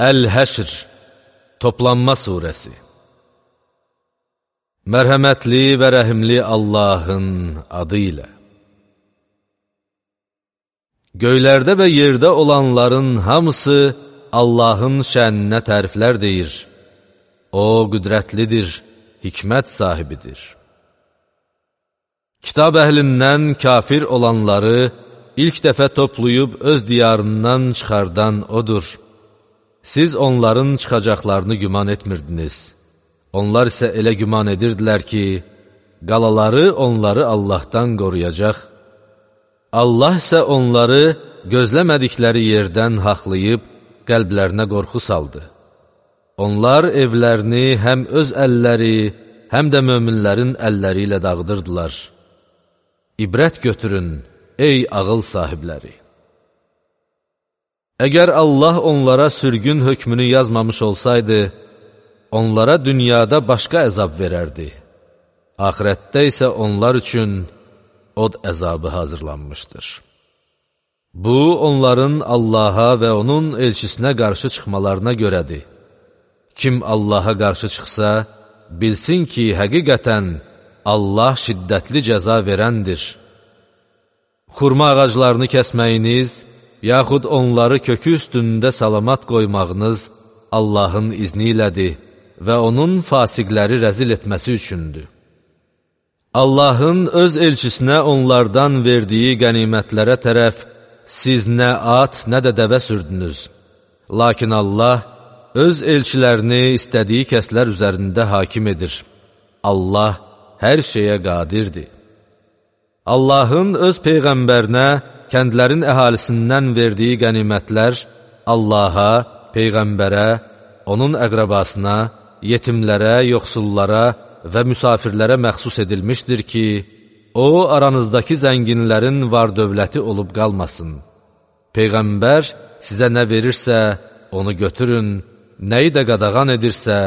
Əl-Həşr, Toplanma Suresi. Mərhəmətli və rəhimli Allahın adı ilə. Göylərdə və yerdə olanların hamısı Allahın şəninə təriflər deyir. O, qüdrətlidir, hikmət sahibidir. Kitab əhlindən kafir olanları ilk dəfə toplayıb öz diyarından çıxardan odur. Siz onların çıxacaqlarını güman etmirdiniz. Onlar isə elə güman edirdilər ki, qalaları onları Allahdan qoruyacaq. Allah isə onları gözləmədikləri yerdən haqlayıb, qəlblərinə qorxu saldı. Onlar evlərini həm öz əlləri, həm də möminlərin əlləri ilə dağıdırdılar. İbrət götürün, ey ağıl sahibləri! Əgər Allah onlara sürgün hökmünü yazmamış olsaydı, onlara dünyada başqa əzab verərdi. Axirətdə isə onlar üçün od əzabı hazırlanmışdır. Bu, onların Allaha və onun elçisinə qarşı çıxmalarına görədir. Kim Allaha qarşı çıxsa, bilsin ki, həqiqətən Allah şiddətli cəza verəndir. Xurma ağaclarını kəsməyiniz, yaxud onları kökü üstündə salamat qoymağınız Allahın izni ilədir və onun fasiqləri rəzil etməsi üçündür. Allahın öz elçisinə onlardan verdiyi qənimətlərə tərəf siz nə at, nə də dəvə sürdünüz. Lakin Allah öz elçilərini istədiyi kəslər üzərində hakim edir. Allah hər şeyə qadirdir. Allahın öz Peyğəmbərinə kəndlərin əhalisindən verdiyi qənimətlər Allaha, Peyğəmbərə, onun əqrəbasına, yetimlərə, yoxsullara və müsafirlərə məxsus edilmişdir ki, o, aranızdakı zənginlərin var-dövləti olub qalmasın. Peyğəmbər sizə nə verirsə, onu götürün, nəyi də qadağan edirsə,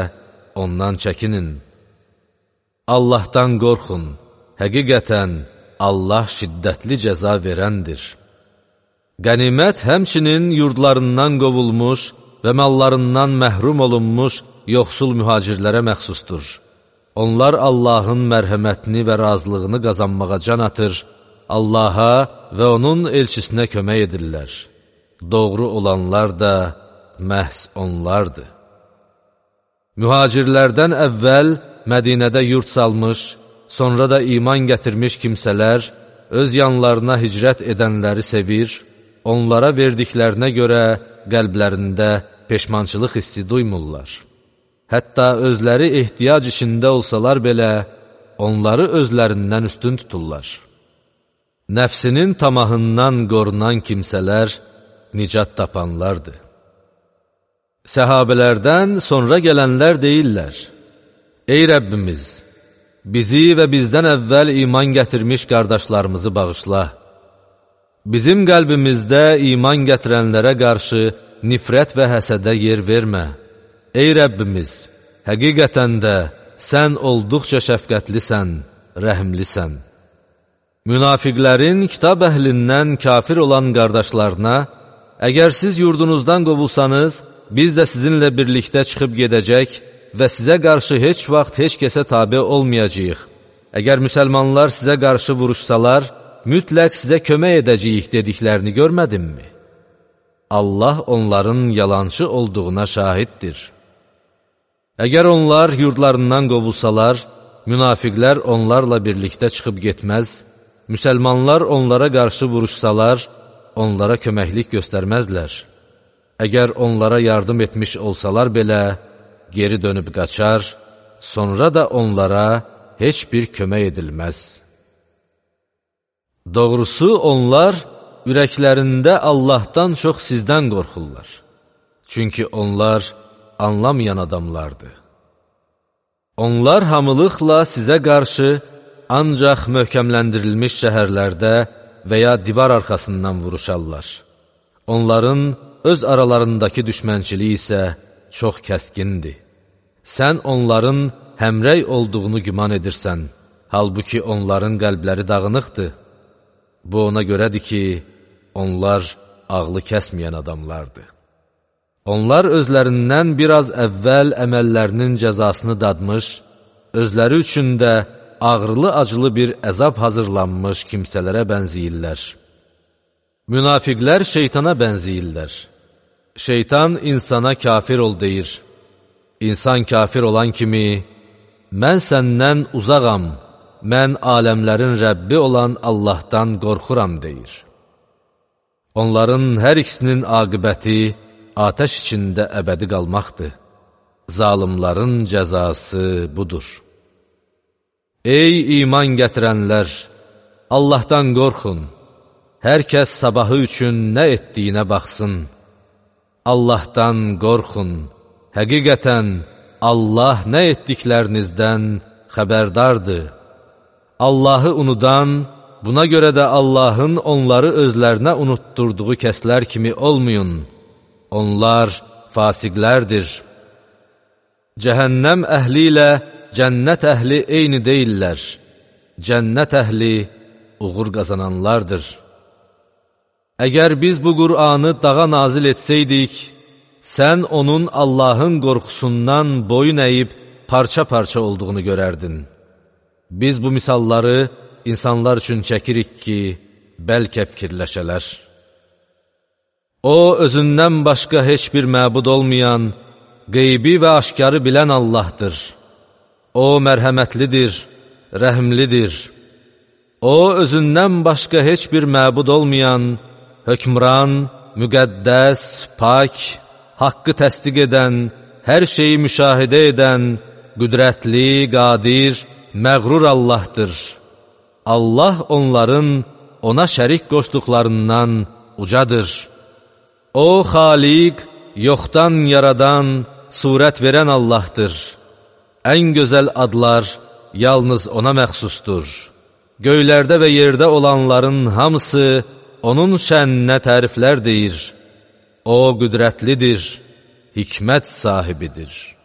ondan çəkinin. Allahdan qorxun, həqiqətən Allah şiddətli cəza verəndir. Qənimət həmçinin yurdlarından qovulmuş və mallarından məhrum olunmuş yoxsul mühacirlərə məxsusdur. Onlar Allahın mərhəmətini və razılığını qazanmağa can atır, Allaha və onun elçisinə kömək edirlər. Doğru olanlar da məhz onlardır. Mühacirlərdən əvvəl Mədinədə yurt salmış, sonra da iman gətirmiş kimsələr öz yanlarına hicrət edənləri sevir, onlara verdiklərinə görə qəlblərində peşmançılıq hissi duymurlar. Hətta özləri ehtiyac içində olsalar belə, onları özlərindən üstün tuturlar. Nəfsinin tamahından qorunan kimsələr nicat tapanlardır. Səhabələrdən sonra gələnlər deyirlər, ey Rəbbimiz, bizi və bizdən əvvəl iman gətirmiş qardaşlarımızı bağışla. Bizim qəlbimizdə iman gətirənlərə qarşı nifrət və həsədə yer vermə. Ey Rəbbimiz, həqiqətən də sən olduqca şəfqətlisən, rəhimlisən. Münafiqlərin kitab əhlindən kafir olan qardaşlarına, əgər siz yurdunuzdan qovulsanız, biz də sizinlə birlikdə çıxıb gedəcək və sizə qarşı heç vaxt heç kəsə tabe olmayacağıq. Əgər müsəlmanlar sizə qarşı vuruşsalar, mütləq sizə kömək edəcəyik dediklərini görmədinmi? Allah onların yalançı olduğuna şahiddir. Əgər onlar yurdlarından qovulsalar, münafiqlər onlarla birlikdə çıxıb getməz, müsəlmanlar onlara qarşı vuruşsalar, onlara köməklik göstərməzlər. Əgər onlara yardım etmiş olsalar belə, geri dönüb qaçar, sonra da onlara heç bir kömək edilməz. Doğrusu onlar ürəklərində Allahdan çox sizdən qorxurlar. Çünki onlar anlamayan adamlardır. Onlar hamılıqla sizə qarşı ancaq möhkəmləndirilmiş şəhərlərdə və ya divar arxasından vuruşarlar. Onların öz aralarındakı düşmənçiliyi isə çox kəskindir. Sən onların həmrəy olduğunu güman edirsən, halbuki onların qəlbləri dağınıqdır. Bu ona görədir ki, onlar ağlı kəsməyən adamlardır. Onlar özlərindən biraz əvvəl əməllərinin cəzasını dadmış, özləri üçün də ağrılı-acılı bir əzab hazırlanmış kimsələrə bənziyirlər. Münafiqlər şeytana bənziyirlər. Şeytan insana kafir ol deyir. İnsan kafir olan kimi, mən səndən uzağam, mən aləmlərin Rəbbi olan Allahdan qorxuram deyir. Onların hər ikisinin aqibəti atəş içində əbədi qalmaqdır. Zalimların cəzası budur. Ey iman gətirənlər! Allahdan qorxun. Hər kəs sabahı üçün nə etdiyinə baxsın. Allahdan qorxun. Həqiqətən, Allah nə etdiklərinizdən xəbərdardır. Allahı unudan, buna görə də Allahın onları özlərinə unutturduğu kəslər kimi olmayın. Onlar fasiqlərdir. Cəhənnəm əhli ilə cənnət əhli eyni deyillər. Cənnət əhli uğur qazananlardır. Əgər biz bu Qur'anı dağa nazil etsəydik, sən onun Allahın qorxusundan boyun əyib parça-parça olduğunu görərdin. Biz bu misalları insanlar üçün çəkirik ki, bəlkə fikirləşələr. O, özündən başqa heç bir məbud olmayan, qeybi və aşkarı bilən Allahdır. O, mərhəmətlidir, rəhimlidir. O, özündən başqa heç bir məbud olmayan, hökmran, müqəddəs, pak, haqqı təsdiq edən, hər şeyi müşahidə edən, qüdrətli, qadir, məğrur Allahdır. Allah onların ona şərik qoşduqlarından ucadır. O, xaliq, yoxdan yaradan, surət verən Allahdır. Ən gözəl adlar yalnız ona məxsusdur. Göylərdə və yerdə olanların hamısı onun şəninə təriflər deyir. O, qüdrətlidir, hikmət sahibidir.